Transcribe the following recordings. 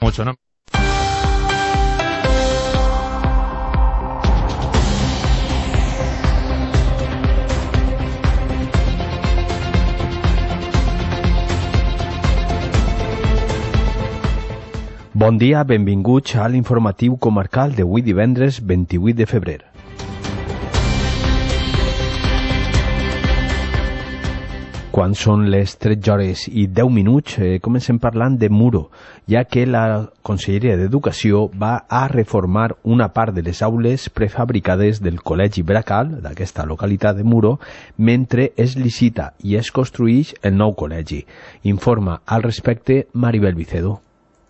mucho, ¿no? Bon dia, benvinguts a l'informatiu comarcal d'avui divendres 28 de febrer. Quan són les 13 hores i 10 minuts, comencem parlant de Muro, ja que la Conselleria d'Educació va a reformar una part de les aules prefabricades del Col·legi Bracal, d'aquesta localitat de Muro, mentre es licita i es construïx el nou col·legi. Informa al respecte Maribel Vicedo.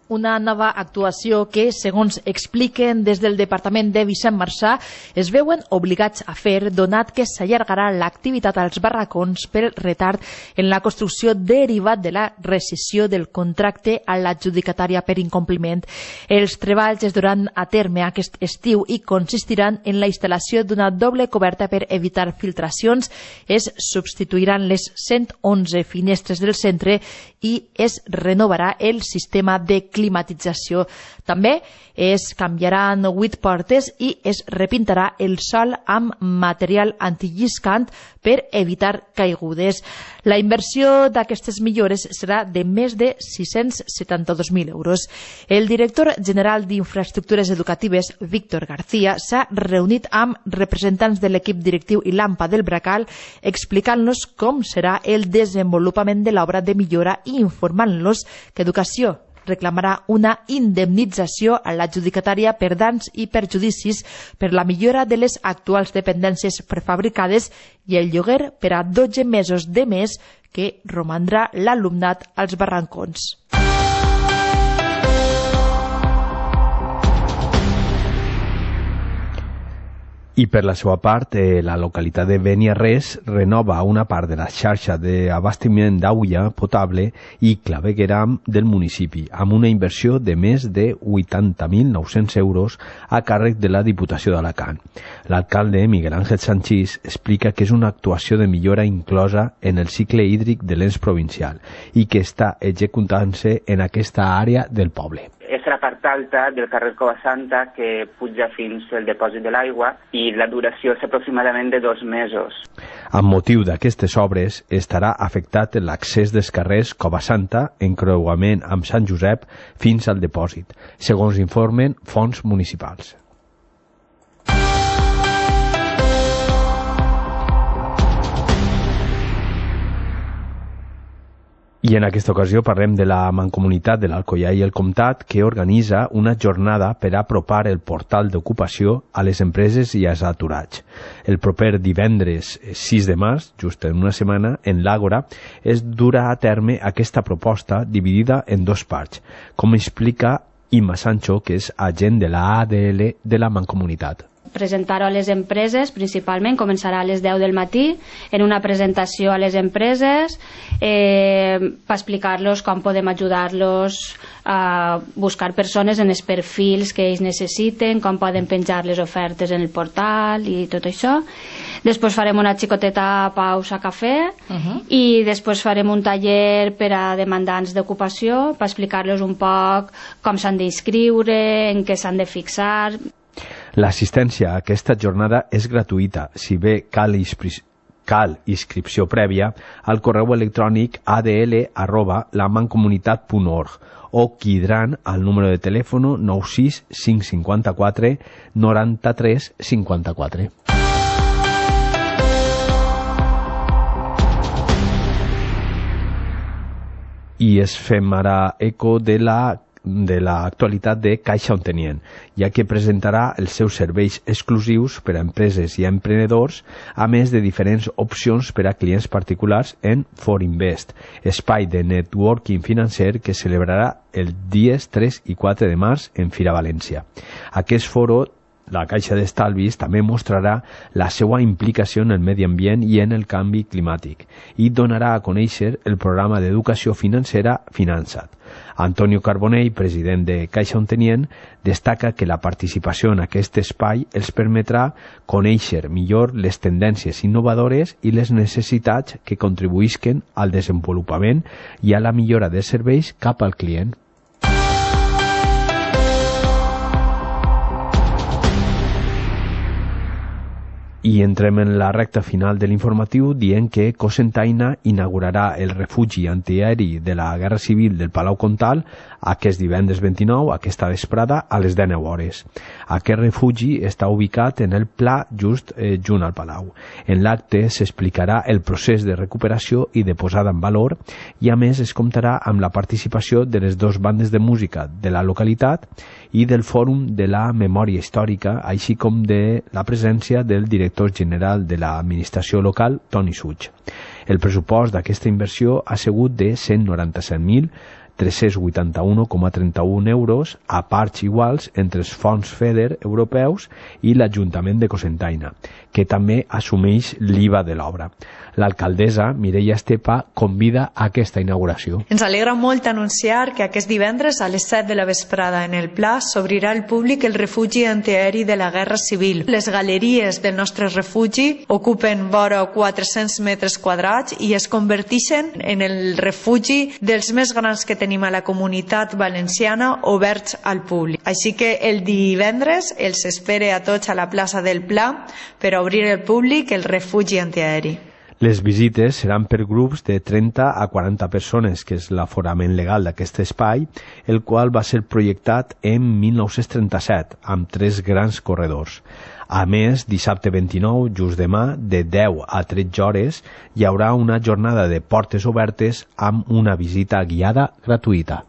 Una nova actuació que, segons expliquen des del Departament de Vicent Marçà, es veuen obligats a fer, donat que s'allargarà l'activitat als barracons pel retard en la construcció derivat de la rescissió del contracte a l'adjudicatària per incompliment. Els treballs es duran a terme aquest estiu i consistiran en la instal·lació d'una doble coberta per evitar filtracions, es substituiran les 111 finestres del centre i es renovarà el sistema de climatització. També es canviaran 8 portes i es repintarà el sòl amb material antilliscant per evitar caigudes. La inversió d'aquestes millores serà de més de 672.000 euros. El director general d'Infraestructures Educatives, Víctor García, s'ha reunit amb representants de l'equip directiu i l'AMPA del Bracal, explicant-los com serà el desenvolupament de l'obra de millora i informant-los que Educació reclamarà una indemnització a l'adjudicatària per danys i perjudicis per la millora de les actuals dependències prefabricades i el lloguer per a 12 mesos de més que romandrà l'alumnat als barrancons. I per la seva part, la localitat de Beniarrés renova una part de la xarxa d'abastiment d'aigua potable i clavegueram del municipi, amb una inversió de més de 80.900 euros a càrrec de la Diputació d'Alacant. L'alcalde Miguel Ángel Sanchís explica que és una actuació de millora inclosa en el cicle hídric de l'ens provincial i que està executant-se en aquesta àrea del poble. És la part alta del carrer Cova Santa que puja fins al depòsit de l'aigua i la duració és aproximadament de 2 mesos. Amb motiu d'aquestes obres estarà afectat l'accés dels carrers Cova Santa, encreuament amb Sant Josep, fins al depòsit, segons informen fonts municipals. I en aquesta ocasió parlem de la Mancomunitat de l'Alcoià i el Comtat, que organitza una jornada per apropar el portal d'ocupació a les empreses i als aturats. El proper divendres 6 de març, just en una setmana, en l'Àgora, es durà a terme aquesta proposta dividida en 2 parts, com explica Imma Sancho, que és agent de la ADL de la Mancomunitat. Presentar-ho a les empreses, principalment, començarà a les 10 del matí, en una presentació a les empreses, per explicar-los com podem ajudar-los a buscar persones en els perfils que ells necessiten, com poden penjar les ofertes en el portal i tot això. Després farem una xicoteta pausa cafè i després farem un taller per a demandants d'ocupació per explicar-los un poc com s'han d'inscriure, en què s'han de fixar. L'assistència a aquesta jornada és gratuïta, si bé cal inscripció prèvia al correu electrònic adl@lamancomunitat.org o quidran al número de telèfon 96 554 93 54. I es fem ara eco de l'actualitat de Caixa Ontenient, ja que presentarà els seus serveis exclusius per a empreses i a emprenedors, a més de diferents opcions per a clients particulars en Forinvest, espai de networking financer que celebrarà els dies 3 i 4 de març en Fira València. Aquest foro, la Caixa d'Estalvis, també mostrarà la seva implicació en el medi ambient i en el canvi climàtic i donarà a conèixer el programa d'educació financera Finançat. Antonio Carbonell, president de Caixa Ontenient, destaca que la participació en aquest espai els permetrà conèixer millor les tendències innovadores i les necessitats que contribuïsquen al desenvolupament i a la millora de serveis cap al client. I entrem en la recta final de l'informatiu dient que Cocentaina inaugurarà el refugi antiaeri de la Guerra Civil del Palau Comtal aquest divendres 29, aquesta vesprada, a les 19 hores. Aquest refugi està ubicat en el pla just junt al Palau. En l'acte s'explicarà el procés de recuperació i de posada en valor i a més es comptarà amb la participació de les dues bandes de música de la localitat i del Fòrum de la Memòria Històrica, així com de la presència del director general de l'administració local, Toni Suig. El pressupost d'aquesta inversió ha sigut de 197.381,31 euros a parts iguals entre els fons FEDER europeus i l'Ajuntament de Cocentaina, que també assumeix l'IVA de l'obra. L'alcaldessa, Mireia Estepa, convida a aquesta inauguració. Ens alegra molt anunciar que aquest divendres a les 7 de la vesprada en el Pla s'obrirà al públic el refugi antiaeri de la Guerra Civil. Les galeries del nostre refugi ocupen vora 400 metres quadrats i es converteixen en el refugi dels més grans que tenim a la comunitat valenciana oberts al públic. Així que el divendres els espere a tots a la plaça del Pla per obrir al públic el refugi antiaeri. Les visites seran per grups de 30 a 40 persones, que és l'aforament legal d'aquest espai, el qual va ser projectat en 1937, amb 3 grans corredors. A més, dissabte 29, just demà, de 10 a 13 hores, hi haurà una jornada de portes obertes amb una visita guiada gratuïta.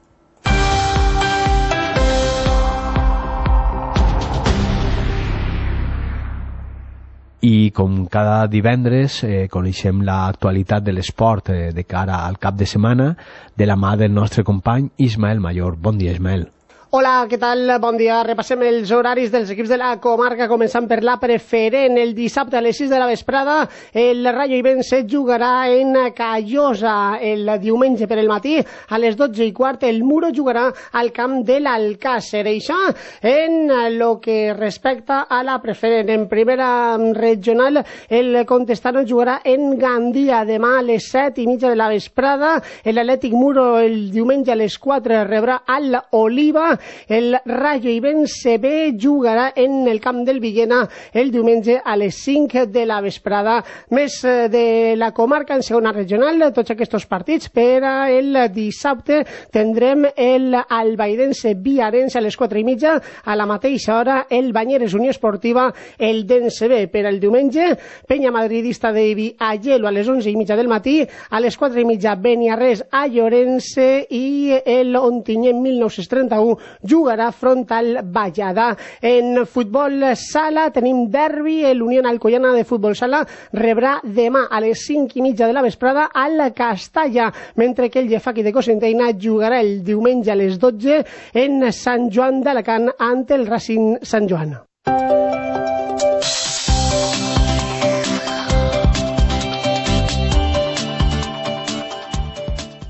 I com cada divendres coneixem l'actualitat de l'esport de cara al cap de setmana de la mà del nostre company Ismael Mayor. Bon dia, Ismael. Hola, què tal? Bon dia. Repassem els horaris dels equips de la comarca, començant per la preferent. El dissabte a les 6 de la vesprada, el Rayo Ibense jugarà en Callosa. El diumenge per el matí, a les 12:15, el Muro jugarà al camp de l'Alcàsser. Això en lo que respecta a la preferent. En primera regional, el Contestano jugarà en Gandia. Demà a les 7:30 de la vesprada, l'Atlètic Muro el diumenge a les 4 rebrà al Oliva. El Rayo Ibense B jugarà en el camp del Villena el diumenge a les 5 de la vesprada. Més de la comarca en segona regional, tots aquests partits. Per el dissabte tindrem el Albaidense Viarense a les 4:30, a la mateixa hora el Banyeres Unió Esportiva el Dense B. Per el diumenge, Penya Madridista d'Ibi a Llelo a les 11:30 del matí, a les 4:30 Beniarrés a Llorense i el Ontinyent 1931 jugarà front al Vallada. En futbol sala tenim derbi, l'Unió Alcoyana de futbol sala rebrà demà a les 5:30 de la vesprada al Castalla, mentre que el Llefaqui de Cocentaina jugarà el diumenge a les 12 en Sant Joan d'Alacant ante el Racing Sant Joan.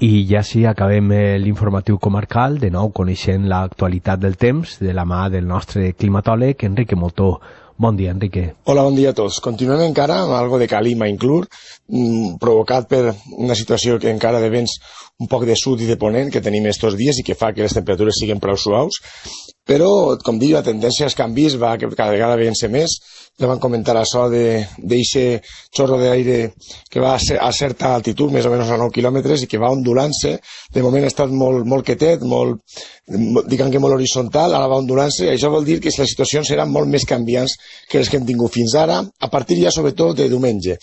I ja sí, acabem l'informatiu comarcal, de nou coneixent l'actualitat del temps, de la mà del nostre climatòleg, Enrique Moltó. Bon dia, Enrique. Hola, bon dia a tots. Continuem encara amb algo de calima inclús, provocat per una situació que encara de vents un poc de sud i de ponent que tenim estos dies i que fa que les temperatures siguin prou suaus, però, com dic, la tendència als canvis va que cada vegada veient-se més. Ja van comentar això d'eixe xorro d'aire que va a certa altitud, més o menys a 9 quilòmetres, i que va ondulant-se. De moment ha estat molt quietet, diguem que molt horitzontal, ara va ondulant-se, i això vol dir que les situacions seran molt més canviants que les que hem tingut fins ara, a partir ja sobretot de diumenge.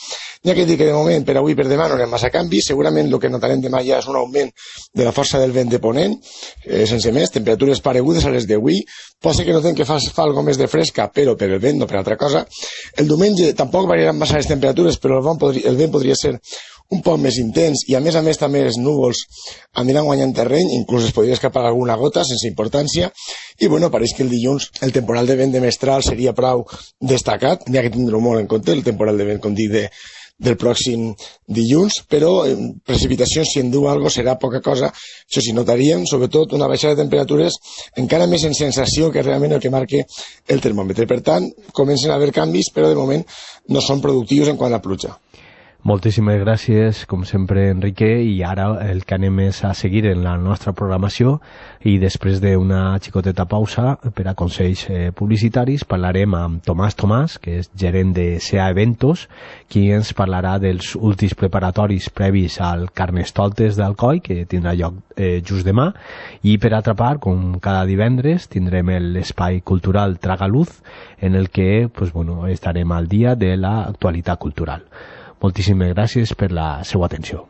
Ja que dic que de moment, per avui i per demà no anem massa canvis, segurament el que notarem demà ja és un augment de la força del vent de ponent, sense més, temperatures paregudes a les d'avui. Pot ser que notem que fa algo més de fresca, però per el vent, no per altra cosa. El diumenge tampoc variaran massa les temperatures, però el vent podria ser un poc més intens, i a més també els núvols aniran guanyant terreny, inclús es podria escapar alguna gota sense importància, i bueno, pareix que el dilluns el temporal de vent de mestral seria prou destacat, ja que tindrem molt en compte el temporal de vent, com dic, del pròxim dilluns, però precipitacions, si en diu alguna cosa, serà poca cosa. Això sí, notaríem sobretot una baixada de temperatures encara més en sensació que realment el que marca el termòmetre. Per tant, comencen a haver canvis, però de moment no són productius en quant a pluja. Moltíssimes gràcies, com sempre, Enrique, i ara el que anem és a seguir en la nostra programació i després d'una xicoteta pausa per a consells publicitaris parlarem amb Tomàs, que és gerent de SEA Eventos, qui ens parlarà dels últims preparatoris previs al Carnestoltes d'Alcoi, que tindrà lloc just demà, i per altra part, com cada divendres, tindrem l'espai cultural Tragaluz, en el que estarem al dia de l'actualitat cultural. Moltíssimes gràcies per la seva atenció.